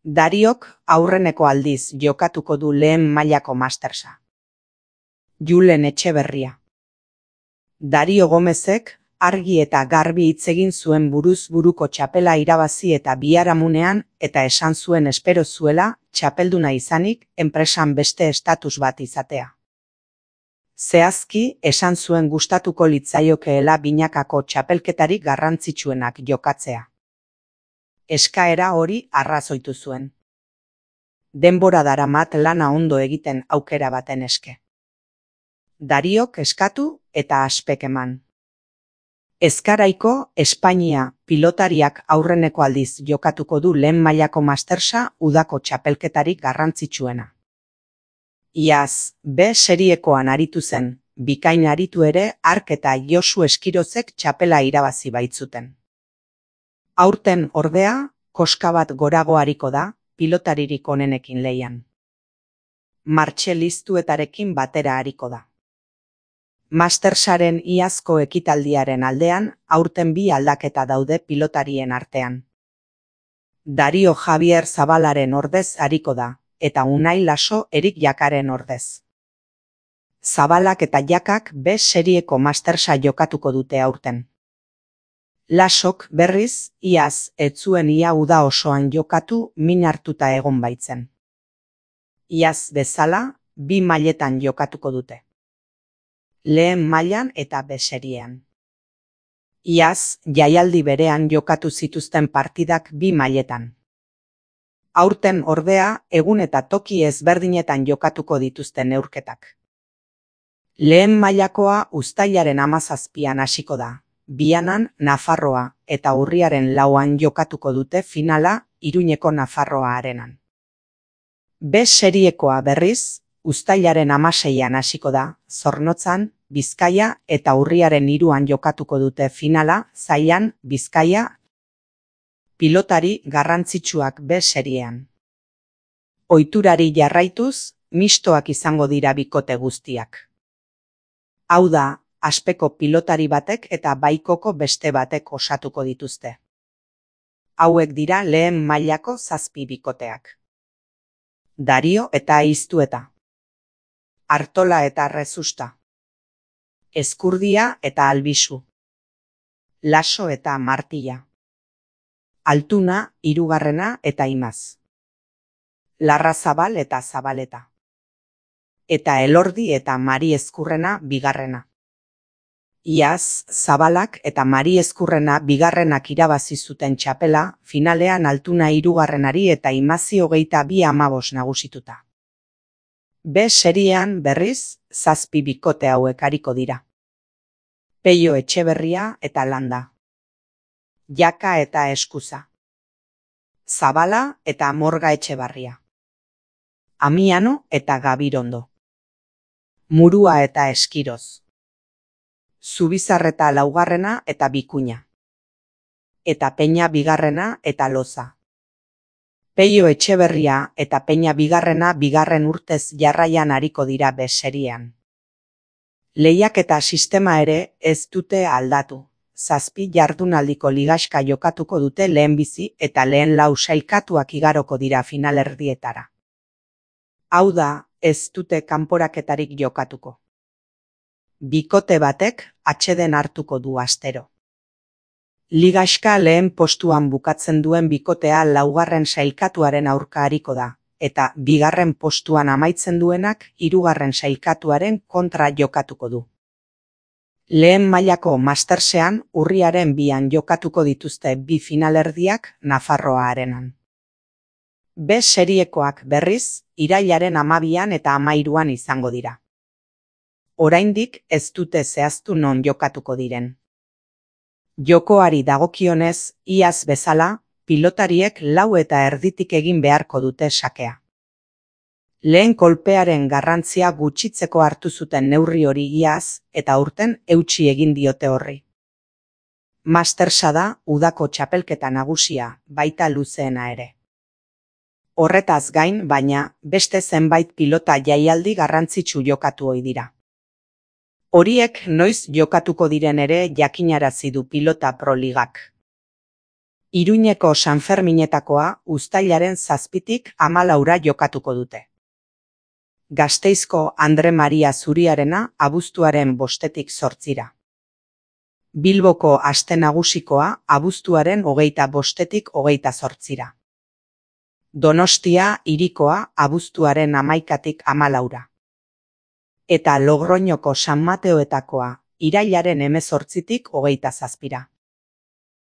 Dariok aurreneko aldiz jokatuko du lehen mailako mastersa. Julen Etxeberria. Dario Gomezek argi eta garbi hitz egin zuen buruz buruko txapela irabazi eta biharamunean eta esan zuen espero zuela txapelduna izanik enpresan beste estatus bat izatea. Zehazki esan zuen gustatuko litzaiokeela binakako txapelketarik garrantzitsuenak jokatzea. Eskaera hori arrazoitu zuen. Denbora daramat lana ondo egiten aukera baten eske. Dariok eskatu eta aspek eman. Ezkaraiko Espainia pilotariak aurreneko aldiz jokatuko du lehen mailako mastersa udako txapelketarik garrantzitsuena. Iaz, B seriekoan aritu zen, bikain aritu ere hark eta Josu Eskirozek txapela irabazi baitzuten. Aurten ordea, koska bat gorago ariko da, pilotaririk onenekin lehian. Martxel Iztuetarekin batera ariko da. Mastersaren iazko ekitaldiaren aldean, aurten bi aldaketa daude pilotarien artean. Dario Javier Zabalaren ordez ariko da, eta Unai Laso Erik Jakaren ordez. Zabalak eta Jakak B serieko mastersa jokatuko dute aurten. Lasok berriz, iaz ez zuen ia uda osoan jokatu min hartuta egon baitzen. Iaz bezala, bi mailetan jokatuko dute. Lehen mailan eta B seriean. Iaz, jaialdi berean jokatu zituzten partidak bi mailetan. Aurten ordea, egun eta toki ezberdinetan jokatuko dituzten neurketak. Lehen mailakoa uztailaren 17an hasiko da. Bianan Nafarroa eta urriaren 4an jokatuko dute finala Iruñeko Nafarroa arenan. B seriekoa berriz, uztailaren 16an hasiko da, Zornotzan, Bizkaia eta urriaren 3an jokatuko dute finala Zaian, Bizkaia. Pilotari garrantzitsuak B seriean. Ohiturari jarraituz, mistoak izango dira bikote guztiak. Hau da, Aspeko pilotari batek eta Baikoko beste batek osatuko dituzte. Hauek dira lehen mailako 7 bikoteak. Dario eta Iztueta. Artola eta Rezusta. Ezkurdia eta Albisu. Laso eta Martilla. Altuna, 3. eta Imaz. Larrazabal eta Zabaleta. Eta Elordi eta Mari Ezkurrena 2. Iaz, Zabalak eta Mari Ezkurrena 2. irabazi zuten txapela, finalean Altuna 3. eta Imazi 22-15 nagusituta. B seriean berriz, 7 bikote hauek ariko dira. Peio Etxeberria eta Landa. Jaka eta Eskuza. Zabala eta Morga Etxebarria. Amiano eta Gabirondo. Murua eta Eskiroz. Zubizarreta 4. eta Bikuña. Eta Peña 2. eta Loza. Peio Etxeberria eta Peña 2. urtez jarraian ariko dira B seriean. Lehiaketa sistema ere ez dute aldatu. 7 jardunaldiko ligaxka jokatuko dute lehenbizi eta lehen 4 sailkatuak igaroko dira finalerdietara. Hau da, ez dute kanporaketarik jokatuko. Bikote batek atseden hartuko du astero. Ligaxka lehen postuan bukatzen duen bikotea 4. sailkatuaren aurka ariko da, eta 2. postuan amaitzen duenak 3. sailkatuaren kontra jokatuko du. Lehen mailako mastersean urriaren 2an jokatuko dituzte bi finalerdiak Nafarroa arenan. B seriekoak berriz, irailaren 12an eta 13an izango dira. Oraindik ez dute zehaztu non jokatuko diren. Jokoari dagokionez, iaz bezala, pilotariek 4:30 egin beharko dute sakea. Lehen kolpearen garrantzia gutxitzeko hartu zuten neurri hori iaz, eta aurten eutsi egin diote horri. Mastersa da udako txapelketa nagusia, baita luzeena ere. Horretaz gain, baina, beste zenbait pilota jaialdi garrantzitsu jokatu ohi dira. Horiek noiz jokatuko diren ere jakinarazi du Pilota Pro Ligak. Iruñeko Sanferminetakoa uztailaren 7tik 14ra jokatuko dute. Gasteizko Andre Maria Zuriarena abuztuaren 5tik 8ra. Bilboko Aste Nagusikoa abuztuaren 25tik 28ra. Donostia Hirikoa abuztuaren 11tik 14ra. Eta Logroñoko San Mateoetakoa irailaren 18tik 27ra.